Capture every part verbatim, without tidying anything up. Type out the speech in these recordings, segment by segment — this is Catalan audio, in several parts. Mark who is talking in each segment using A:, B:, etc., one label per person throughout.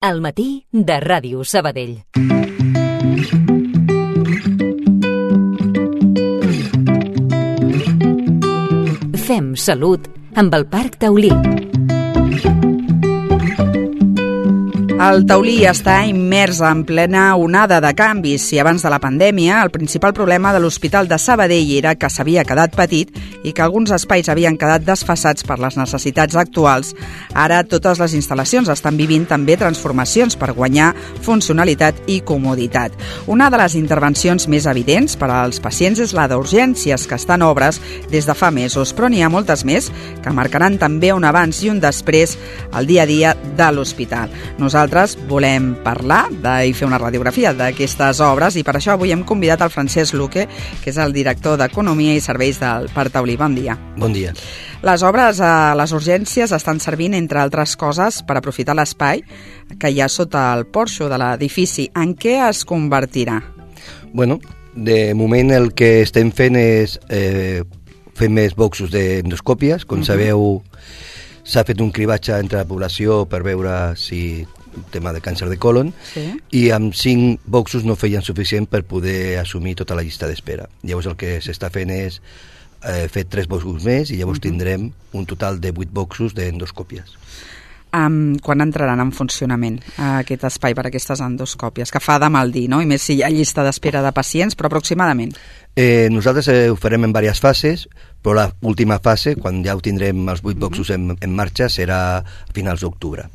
A: Al matí de Ràdio Sabadell. Fem salut amb el Parc Taulí.
B: El Taulí està immers en plena onada de canvis. Si abans de la pandèmia el principal problema de l'Hospital de Sabadell era que s'havia quedat petit i que alguns espais havien quedat desfasats per les necessitats actuals, ara totes les instal·lacions estan vivint també transformacions per guanyar funcionalitat i comoditat. Una de les intervencions més evidents per als pacients és la d'urgències, que està en obres des de fa mesos, però n'hi ha moltes més que marcaran també un abans i un després al dia a dia de l'hospital. Nosaltres volem parlar de, i fer una radiografia d'aquestes obres, i per això avui hem convidat el Francesc Luque, que és el director d'Economia i Serveis del Parc Taulí. Bon dia.
C: Bon dia.
B: Les obres a les urgències estan servint, entre altres coses, per aprofitar l'espai que hi ha sota el porxo de l'edifici. En què es convertirà?
C: Bueno, de moment el que estem fent és eh, fer més boxos d'endoscòpies. Com uh-huh. sabeu, s'ha fet un cribatge entre la població per veure si tema de càncer de colon, sí. i amb cinc boxos no feien suficient per poder assumir tota la llista d'espera. Llavors el que s'està fent és eh, fer tres boxos més, i llavors uh-huh. tindrem un total de vuit boxos d'endoscòpies.
B: Um, quan entraran en funcionament uh, aquest espai per a aquestes endoscòpies? Que fa de mal dir, no? I més si hi ha llista d'espera de pacients, però aproximadament.
C: Eh, nosaltres eh, ho farem en diverses fases, però l'última fase, quan ja ho tindrem els vuit boxos uh-huh. en, en marxa, serà a finals d'octubre.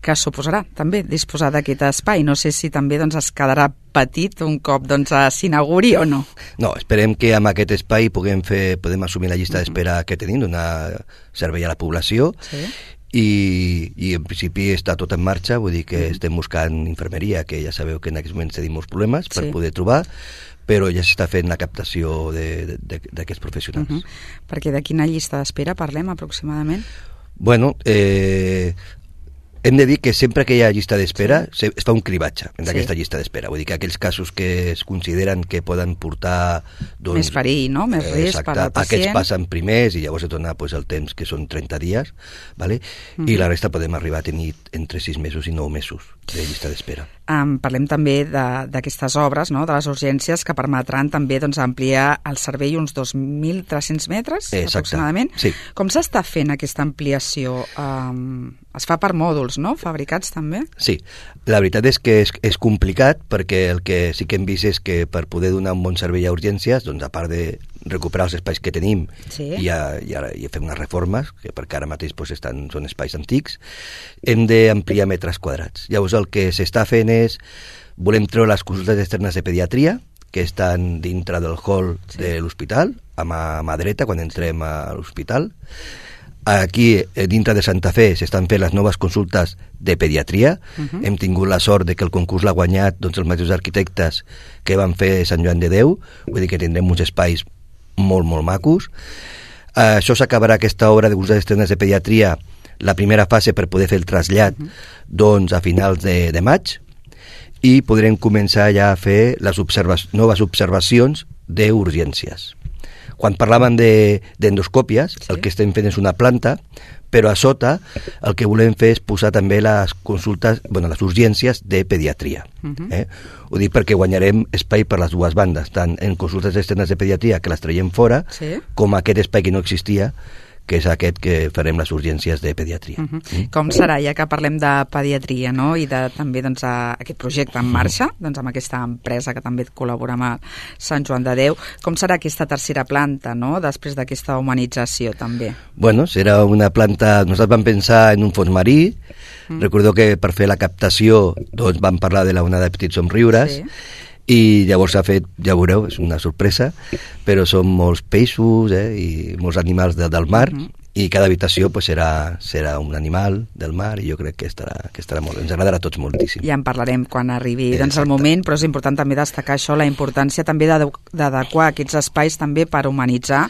B: Que suposarà també disposar d'aquest espai. No sé si també doncs, es quedarà petit un cop doncs, s'inauguri o no.
C: No, esperem que amb aquest espai puguem, fer, podem assumir la llista d'espera que tenim, donar servei a la població, sí. i, i en principi està tot en marxa, vull dir que mm. estem buscant infermeria, que ja sabeu que en aquests moments tenim molts problemes per sí. poder trobar, però ja s'està fent la captació d'aquests professionals.
B: Uh-huh. Perquè de quina llista d'espera parlem aproximadament?
C: Bueno, eh... hem de dir que sempre que hi ha llista d'espera sí. es fa un cribatge d'aquesta sí. llista d'espera. Vull dir que aquells casos que es consideren que poden portar... Doncs,
B: més perill, no? Més risc per al pacient.
C: Aquests passen primers i llavors es dona pues, el temps, que són trenta dies, ¿vale? Mm-hmm. i la resta podem arribar a tenir entre sis mesos i nou mesos de llista d'espera.
B: Um, parlem també d'aquestes obres, no? De les urgències, que permetran també doncs, ampliar el servei uns dos mil tres-cents metres, Exacte. aproximadament.
C: Sí.
B: Com s'està fent aquesta ampliació? Um, es fa per mòduls, no? Fabricats també?
C: Sí, la veritat és que és, és complicat, perquè el que sí que hem vist és que per poder donar un bon servei a urgències, doncs a part de recuperar els espais que tenim sí. i, a, i, a, i a fer unes reformes, que perquè ara mateix doncs, estan, són espais antics, hem d'ampliar metres quadrats. Llavors el que s'està fent és, volem treure les consultes externes de pediatria, que estan dintre del hall sí. de l'hospital, a mà, a mà dreta, quan entrem a l'hospital. Aquí, dintre de Santa Fe, s'estan fent les noves consultes de pediatria. Uh-huh. Hem tingut la sort de que el concurs l'ha guanyat doncs, els mateixos arquitectes que van fer Sant Joan de Déu, vull dir que tindrem uns espais molt, molt macos. Uh, això s'acabarà, aquesta obra de consultes externes de pediatria, la primera fase per poder fer el trasllat uh-huh. doncs, a finals de, de maig, i podrem començar ja a fer les observa- noves observacions d'urgències. Quan parlaven d'endoscòpies, sí. el que estem fent és una planta, però a sota el que volem fer és posar també les consultes, bueno, les urgències de pediatria. Uh-huh. eh? Ho dic perquè guanyarem espai per les dues bandes, tant en consultes externes de pediatria, que les traiem fora, sí. com aquest espai que no existia, que és aquest que farem les urgències de pediatria.
B: Uh-huh. Mm? Com serà, ja que parlem de pediatria, no? I de també doncs, a aquest projecte en marxa, doncs, amb aquesta empresa que també col·labora amb el Sant Joan de Déu, com serà aquesta tercera planta, no? Després d'aquesta humanització, també?
C: Bueno, serà una planta... Nosaltres vam pensar en un fons marí, mm. recordeu que per fer la captació doncs, vam parlar de la onada de petits somriures, sí. i llavors s'ha fet, ja veureu, és una sorpresa, però són molts peixos eh, i molts animals de, del mar, uh-huh. i cada habitació pues, serà, serà un animal del mar, i jo crec que estarà, que estarà molt, ens agradarà a tots moltíssim.
B: Ja en parlarem quan arribi doncs, el moment, però és important també destacar això, la importància també d'adequar aquests espais també per humanitzar,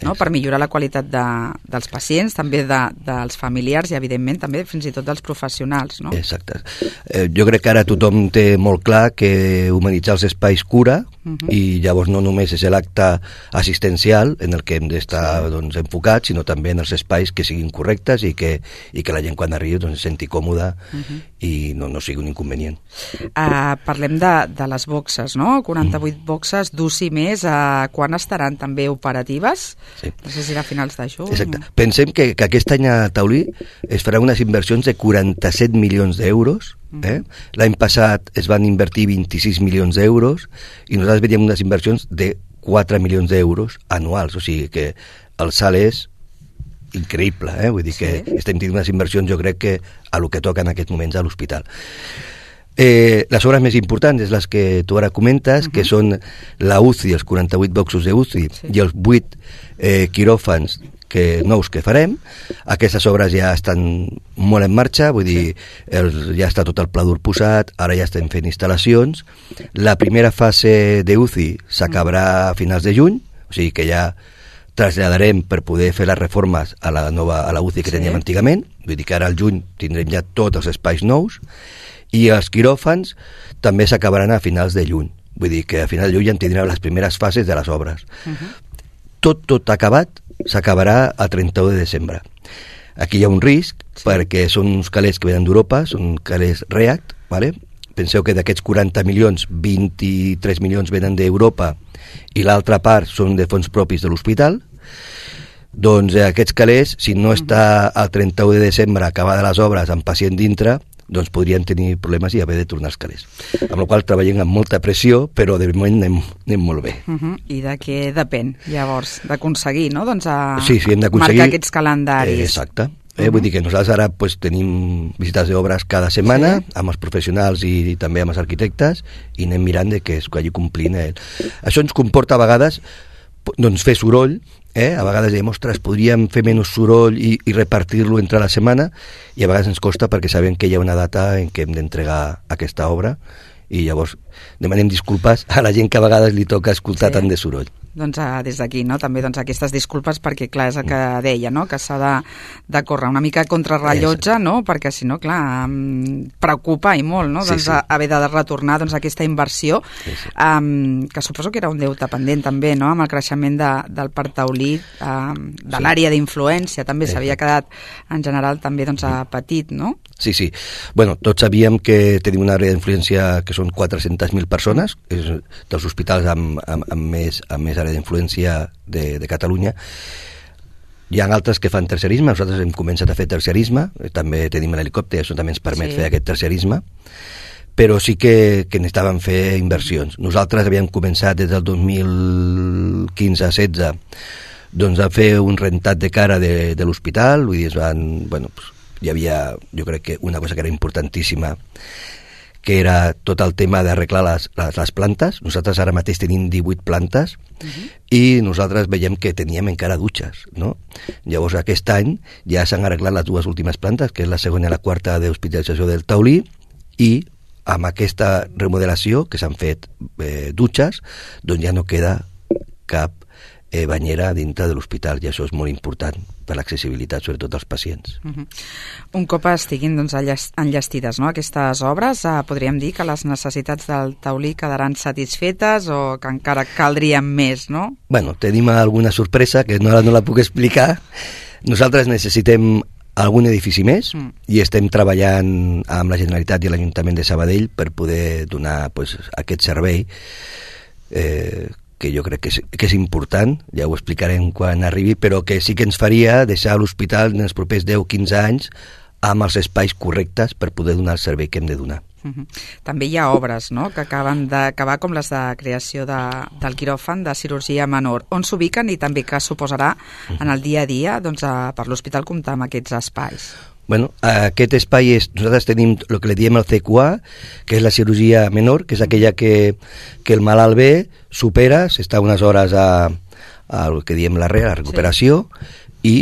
B: no? Per millorar la qualitat de, dels pacients, també de, dels familiars i evidentment també fins i tot dels professionals. No?
C: Exacte. Eh, jo crec que ara tothom té molt clar que humanitzar els espais cura, uh-huh. i llavors no només és l'acte assistencial en el que hem d'estar sí. doncs, enfocats, sinó també en els espais que siguin correctes i que, i que la gent quan arribi doncs, se senti còmoda uh-huh. i no, no sigui un inconvenient.
B: Uh, parlem de, de les boxes, no? quaranta-vuit uh-huh. boxes d'U C I més, uh, quan estaran també operatives? Sí. No sé si a finals de juny.
C: Exacte. Pensem que, que aquest any a Taulí es faran unes inversions de quaranta-set milions d'euros. Eh? L'any passat es van invertir vint-i-sis milions d'euros i nosaltres veiem unes inversions de quatre milions d'euros anuals, o sigui que el salt és increïble, eh? Vull dir que sí. estem tenint unes inversions, jo crec que a lo que toca en aquests moments a l'hospital. Eh, les obres més importants és les que tu ara comentes, uh-huh. que són la U C I, els quaranta-vuit boxos de U C I sí. i els vuit eh, quiròfans que, nous que farem. Aquestes obres ja estan molt en marxa, vull dir, el, ja està tot el pla dur posat, ara ja estem fent instal·lacions. La primera fase de U C I s'acabarà a finals de juny, o sigui que ja traslladarem per poder fer les reformes a la nova a la U C I que sí. teníem antigament, vull dir que ara al juny tindrem ja tots els espais nous, i els quiròfans també s'acabaran a finals de juny, vull dir que a final de juny ja en tindrem les primeres fases de les obres. Uh-huh. Tot, tot acabat s'acabarà a trenta-u de desembre. Aquí hi ha un risc, sí. perquè són uns calés que venen d'Europa, són calés REACT, ¿vale? Penseu que d'aquests quaranta milions, vint-i-tres milions venen d'Europa i l'altra part són de fons propis de l'hospital. Doncs eh, aquests calés, si no està al trenta-u de desembre acabades les obres amb pacient dintre, doncs podrien tenir problemes i haver de tornar els calés. Amb la qual cosa treballem amb molta pressió, però de moment anem, anem molt bé.
B: Uh-huh. I de què depèn, llavors, d'aconseguir, no? Doncs a
C: sí, sí, hem d'aconseguir
B: marcar aquests calendaris.
C: Eh, exacte. Eh, uh-huh. Vull dir que nosaltres ara pues, tenim visites d'obres cada setmana sí. amb els professionals i, i també amb els arquitectes i anem mirant de que es vagi complint. Eh. Això ens comporta a vegades doncs, fer soroll, eh? A vegades diem, ostres, podríem fer menys soroll i, i repartir-lo entre la setmana, i a vegades ens costa perquè sabem que hi ha una data en què hem d'entregar aquesta obra i llavors demanem disculpes a la gent que a vegades li toca escoltar sí. tant de soroll.
B: Doncs uh, des d'aquí, no? També doncs, aquestes disculpes perquè, clar, és el que deia, no? Que s'ha de, de córrer una mica contrarrellotge, no? Perquè, si no, clar, um, preocupa i molt, no? Sí, doncs sí. haver de retornar doncs, aquesta inversió, sí, sí. Um, que suposo que era un deute pendent també, no? Amb el creixement de, del parc taulí, um, de sí. l'àrea d'influència, també sí. s'havia quedat, en general, també doncs, a petit, no?
C: Sí, sí. Bueno, tots sabíem que tenim una àrea d'influència que són quatre-centes mil persones, és dels hospitals amb, amb, amb, més, amb més àrea d'influència de, de Catalunya. Hi ha altres que fan tercerisme, nosaltres hem començat a fer tercerisme, també tenim l'helicòpter, això també ens permet sí. fer aquest tercerisme, però sí que, que necessitàvem fer inversions. Nosaltres havíem començat des del dos mil quinze setze doncs, a fer un rentat de cara de, de l'hospital, vull dir, es van, bueno, pues, hi havia, jo crec que una cosa que era importantíssima, que era tot el tema d'arreglar les, les, les plantes. Nosaltres ara mateix tenim divuit plantes uh-huh. i nosaltres veiem que teníem encara dutxes, no? Llavors aquest any ja s'han arreglat les dues últimes plantes, que és la segona i la quarta d'hospitalització del taulí, i amb aquesta remodelació que s'han fet eh, dutxes, doncs ja no queda cap eh, banyera dintre de l'hospital, i això és molt important per l'accessibilitat, sobretot als pacients. Uh-huh.
B: Un cop estiguin doncs, enllestides no, aquestes obres, eh, podríem dir que les necessitats del taulí quedaran satisfetes o que encara caldrien més, no?
C: Bueno, tenim alguna sorpresa que no, no la puc explicar. Nosaltres necessitem algun edifici més mm. i estem treballant amb la Generalitat i l'Ajuntament de Sabadell per poder donar pues, aquest servei eh, que jo crec que és, que és important, ja ho explicarem quan arribi, però que sí que ens faria deixar l'hospital en els propers deu a quinze anys amb els espais correctes per poder donar el servei que hem de donar.
B: Uh-huh. També hi ha obres no? que acaben d'acabar, com les de creació de, del quiròfan de cirurgia menor. On s'ubiquen i també què suposarà uh-huh. en el dia a dia doncs, a, per l'hospital comptar amb aquests espais?
C: Bueno, aquest espai és, nosaltres tenim el que li diem el C Q A, que és la cirurgia menor, que és aquella que, que el malalt ve, supera, s'està unes hores a, a el que diem la re, la recuperació, sí. i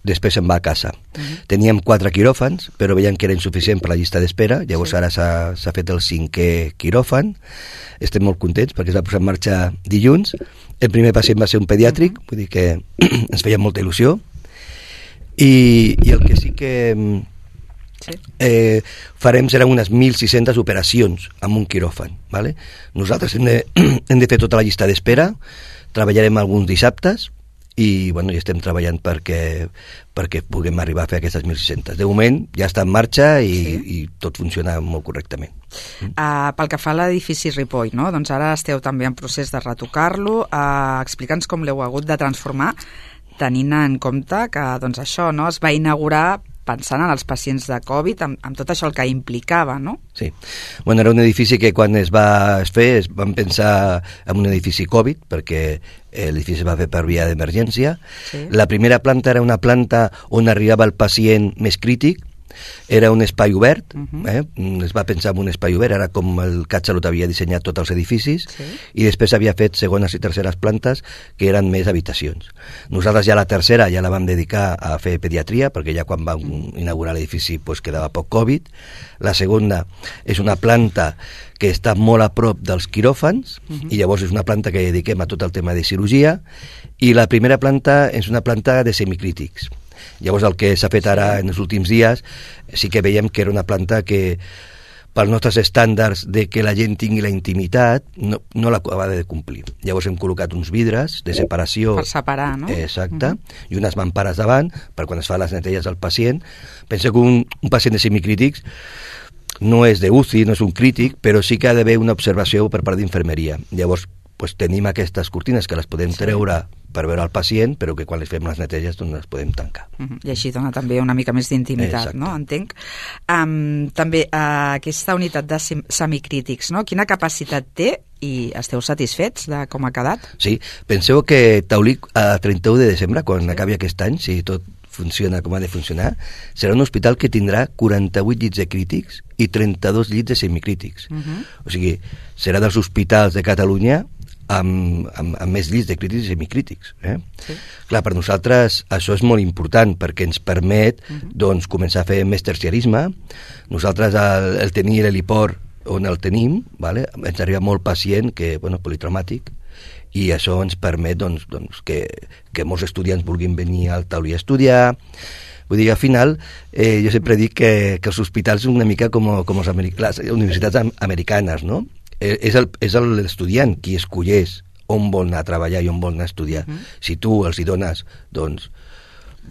C: després se'n va a casa. Uh-huh. Teníem quatre quiròfans, però veiem que era insuficient per la llista d'espera, llavors sí. ara s'ha fet el cinquè quiròfan, estem molt contents perquè es va posar en marxa dilluns. El primer pacient va ser un pediàtric, uh-huh. vull dir que ens feia molta il·lusió, I, i el que sí que sí. Eh, farem seran unes mil sis-centes operacions amb un quiròfan, ¿vale? Nosaltres hem de, hem de fer tota la llista d'espera, treballarem alguns dissabtes i, bueno, i estem treballant perquè, perquè puguem arribar a fer aquestes mil sis-centes. De moment ja està en marxa i, sí. i tot funciona molt correctament.
B: Uh, pel que fa a l'edifici Ripoll, no? Doncs ara esteu també en procés de retocar-lo. Uh, Explica'ns com l'heu hagut de transformar, tenint en compte que doncs, això no es va inaugurar pensant en els pacients de Covid, amb, amb tot això el que implicava, no?
C: Sí. Bueno, era un edifici que quan es va fer es van pensar en un edifici Covid, perquè l'edifici es va fer per via d'emergència. Sí. La primera planta era una planta on arribava el pacient més crític, era un espai obert, uh-huh. eh? es va pensar en un espai obert, era com el CatSalut havia dissenyat tots els edificis, sí. i després havia fet segones i terceres plantes que eren més habitacions. Nosaltres ja la tercera ja la vam dedicar a fer pediatria, perquè ja quan vam inaugurar l'edifici pues, quedava poc Covid. La segona és una planta que està molt a prop dels quiròfans, uh-huh. i llavors és una planta que dediquem a tot el tema de cirurgia, i la primera planta és una planta de semicrítics. Llavors el que s'ha fet ara en els últims dies sí que veiem que era una planta que pels nostres estàndards de que la gent tingui la intimitat no, no l'acabava de complir. Llavors hem col·locat uns vidres de separació.
B: Per separar, no?
C: Exacte, uh-huh. i unes mampares davant per quan es fa les neteges del pacient. Pensa que un, un pacient de semicrítics no és de U C I, no és un crític, però sí que ha d'haver una observació per part d'infermeria. Llavors pues, tenim aquestes cortines que les podem sí. treure per veure el pacient, però que quan les fem les neteges doncs les podem tancar.
B: Uh-huh. I així dona també una mica més d'intimitat, no? Entenc. Um, també uh, aquesta unitat de semicrítics, no? Quina capacitat té i esteu satisfets de com ha quedat?
C: Sí, penseu que Taulí a trenta-u de desembre, quan sí. acabi aquest any, si tot funciona com ha de funcionar, serà un hospital que tindrà quaranta-vuit llits de crítics i trenta-dos llits de semicrítics. Uh-huh. O sigui, serà dels hospitals de Catalunya amb, amb, amb més llits de crítics i semicrítics. Eh? Sí. Clar, per nosaltres això és molt important perquè ens permet uh-huh. doncs, començar a fer més terciarisme. Nosaltres el, el tenir l'heliport on el tenim, vale? Ens arriba molt pacient que, bueno, politraumàtic, i això ens permet doncs, doncs, que, que molts estudiants vulguin venir al Taulí a estudiar. Vull dir, al final, eh, jo sempre dic que, que els hospitals són una mica com, com els americ- les universitats americanes, no? És el, és l'estudiant qui escolleix on vol anar a treballar i on vol anar a estudiar. Uh-huh. Si tu els hi dones doncs,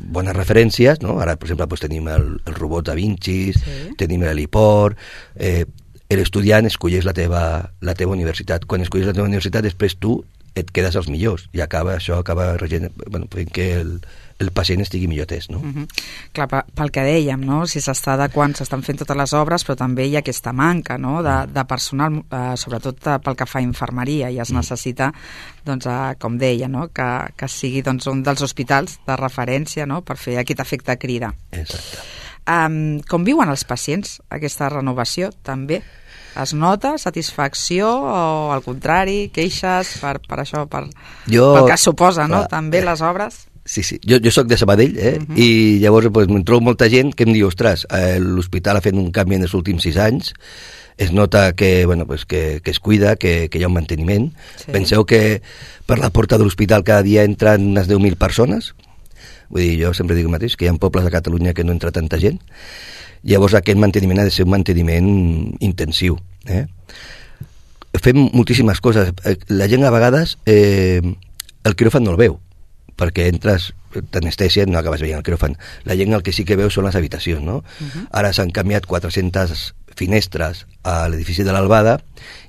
C: bones referències, no? Ara, per exemple, doncs, tenim el, el robot Da Vinci, sí. tenim l'heliport, eh, l'estudiant escolleix la teva, la teva universitat. Quan escolleix la teva universitat, després tu et quedes als millors i acaba això acaba regent, bueno, fent que el, el pacient estigui millor atès, no?
B: Uh-huh. Clar, pel que dèiem, no? Si s'està adequant, s'estan fent totes les obres, però també hi ha aquesta manca, no? de, de personal, eh, sobretot pel que fa a infermeria, i es mm. necessita, doncs, eh, com deia, no? que, que sigui doncs, un dels hospitals de referència, no? Per fer aquest efecte crida.
C: Exacte.
B: Um, com viuen els pacients aquesta renovació, també? Es nota satisfacció o, al contrari, queixes per, per això, per, jo, pel que suposa, no? Clar, també les obres?
C: Sí, sí. Jo, jo soc de Sabadell, eh? Uh-huh. I llavors pues, em trobo molta gent que em diu, ostres, eh, l'hospital ha fet un canvi en els últims sis anys, es nota que, bueno, pues, que, que es cuida, que, que hi ha un manteniment. Sí. Penseu que per la porta de l'hospital cada dia entren unes deu mil persones. Vull dir, jo sempre dic el mateix, que hi ha pobles a Catalunya que no entra tanta gent. Llavors aquest manteniment ha de ser un manteniment intensiu. Eh? Fem moltíssimes coses. La gent a vegades eh, el quiròfan no el veu, perquè entres, t'anestèsia, no acabes veient el quiròfan. La gent el que sí que veu són les habitacions, no? Uh-huh. Ara s'han canviat quatre-centes finestres a l'edifici de l'Albada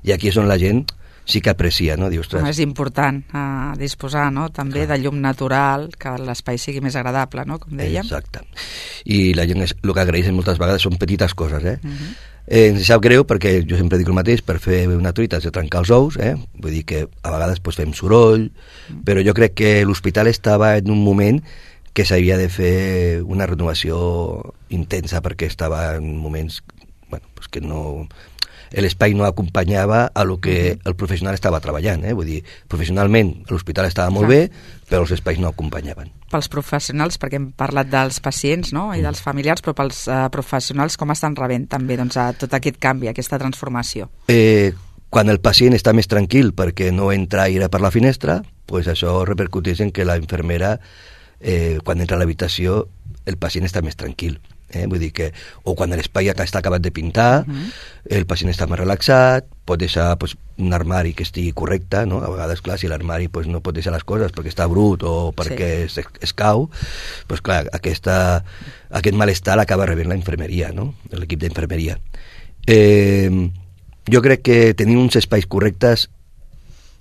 C: i aquí és on la gent sí que aprecia, no? Diu, ostres.
B: No, és important uh, disposar, no? També Clar. de llum natural, que l'espai sigui més agradable, no? Com dèiem.
C: Exacte. I la gent és, el que agraeixen moltes vegades són petites coses, eh?
B: Uh-huh.
C: eh ens sap greu perquè jo sempre dic el mateix, per fer una truita has de trencar els ous, eh? Vull dir que a vegades pues, fem soroll, uh-huh. però jo crec que l'hospital estava en un moment que s'havia de fer una renovació intensa perquè estava en moments bueno, pues que no... l'espai no acompanyava a lo que el professional estava treballant, eh? Vull dir, professionalment l'hospital estava molt bé, però els espais no acompanyaven.
B: Pels professionals, perquè hem parlat dels pacients, no?, i dels familiars, però pels uh, professionals com estan rebent també doncs, a tot aquest canvi, aquesta transformació?
C: Eh, quan el pacient està més tranquil perquè no entra aire per la finestra, pues això repercuteix en que la infermera, eh, quan entra a l'habitació, el pacient està més tranquil. Eh? Vull dir que, o quan l'espai està acabat de pintar, uh-huh. el pacient està més relaxat, pot deixar pues, un armari que estigui correcte, no? A vegades, clar, si l'armari pues, no pot deixar les coses perquè està brut o perquè sí. es, es cau, pues, clar, aquesta, aquest malestar l'acaba rebent la infermeria, no? L'equip d'infermeria. Eh, jo crec que tenir uns espais correctes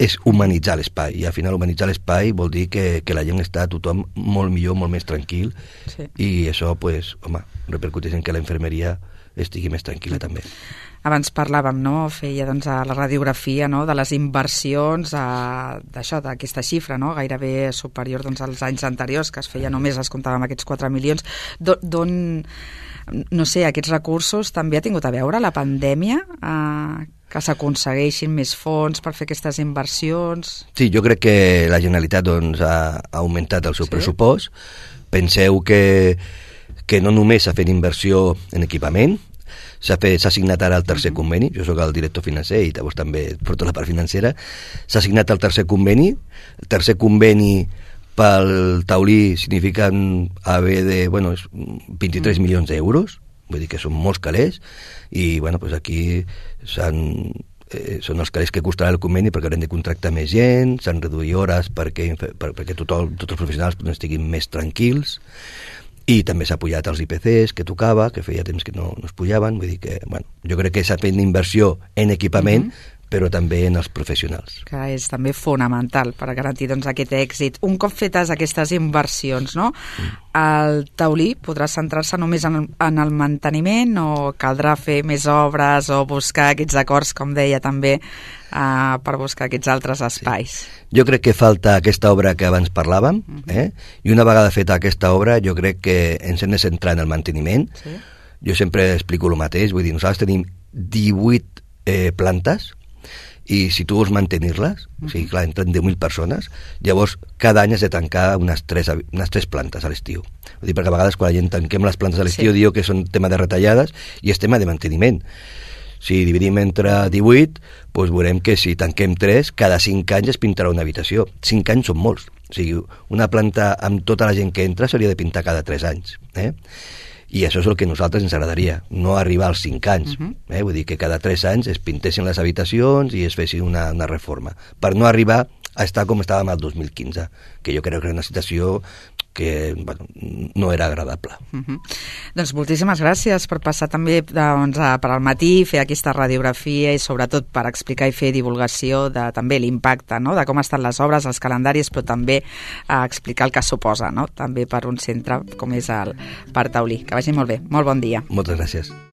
C: és humanitzar l'espai, i al final humanitzar l'espai vol dir que, que la gent està tothom molt millor, molt més tranquil, sí. I això, pues, home, repercuteix en que la infermeria estigui més tranquil·la també.
B: Abans parlàvem, no?, feia doncs, a la radiografia, no?, de les inversions, a, d'això, d'aquesta xifra, no?, gairebé superior doncs, als anys anteriors, que es feia només, es comptàvem aquests quatre milions. D'on, no sé, aquests recursos també ha tingut a veure la pandèmia, eh, que s'aconsegueixin més fons per fer aquestes inversions? Sí,
C: jo crec que la Generalitat doncs, ha, ha augmentat el seu sí. pressupost. Penseu que, que no només s'ha fet inversió en equipament, s'ha signat ara el tercer uh-huh. conveni, jo sóc el director financer i llavors també porto la part financera, s'ha signat el tercer conveni, el tercer conveni pel taulí significa haver de, bueno, vint-i-tres uh-huh. milions d'euros, vull dir que són molts calés, i bueno, pues aquí s'han, eh, són els calés que costarà el conveni perquè haurem de contractar més gent, s'han reduït hores perquè, per, perquè tothom, tots els professionals estiguin més tranquils, i també s'ha pujat els I P Cs que tocava, que feia temps que no, no es pujaven, vull dir que, bueno, jo crec que s'ha fet inversió en equipament, mm-hmm. però també en els professionals.
B: Que és també fonamental per garantir doncs, aquest èxit. Un cop fetes aquestes inversions, no? Mm. El taulí podrà centrar-se només en el, en el manteniment o caldrà fer més obres o buscar aquests acords, com deia també, Uh, per buscar aquests altres espais?
C: Sí. Jo crec que falta aquesta obra que abans parlàvem, uh-huh. eh? I una vegada feta aquesta obra jo crec que ens hem de centrar en el manteniment. Sí. Jo sempre explico el mateix, vull dir, nosaltres tenim divuit eh, plantes i si tu vols mantenir-les, uh-huh. o sigui, clar, entren deu mil persones, llavors cada any has de tancar unes tres, unes tres plantes a l'estiu. Vull dir, perquè a vegades quan la gent tanquem les plantes a l'estiu sí. diu que són tema de retallades i és tema de manteniment. Si dividim entre divuit, doncs veurem que si tanquem tres, cada cinc anys es pintarà una habitació. cinc anys són molts. O sigui, una planta amb tota la gent que entra s'hauria de pintar cada tres anys. Eh? I això és el que a nosaltres ens agradaria, no arribar als cinc anys. Uh-huh. eh? Vull dir que cada tres anys es pintessin les habitacions i es fessin una, una reforma. Per no arribar a estar com estàvem el dos mil quinze, que jo crec que era una situació que bueno, no era agradable.
B: Uh-huh. Doncs moltíssimes gràcies per passar també doncs, per al matí, fer aquesta radiografia i sobretot per explicar i fer divulgació de també l'impacte, no? De com estan les obres, els calendaris, però també eh, explicar el que suposa, no? També per un centre com és el Parc Taulí. Que vagi molt bé. Molt bon dia.
C: Moltes gràcies.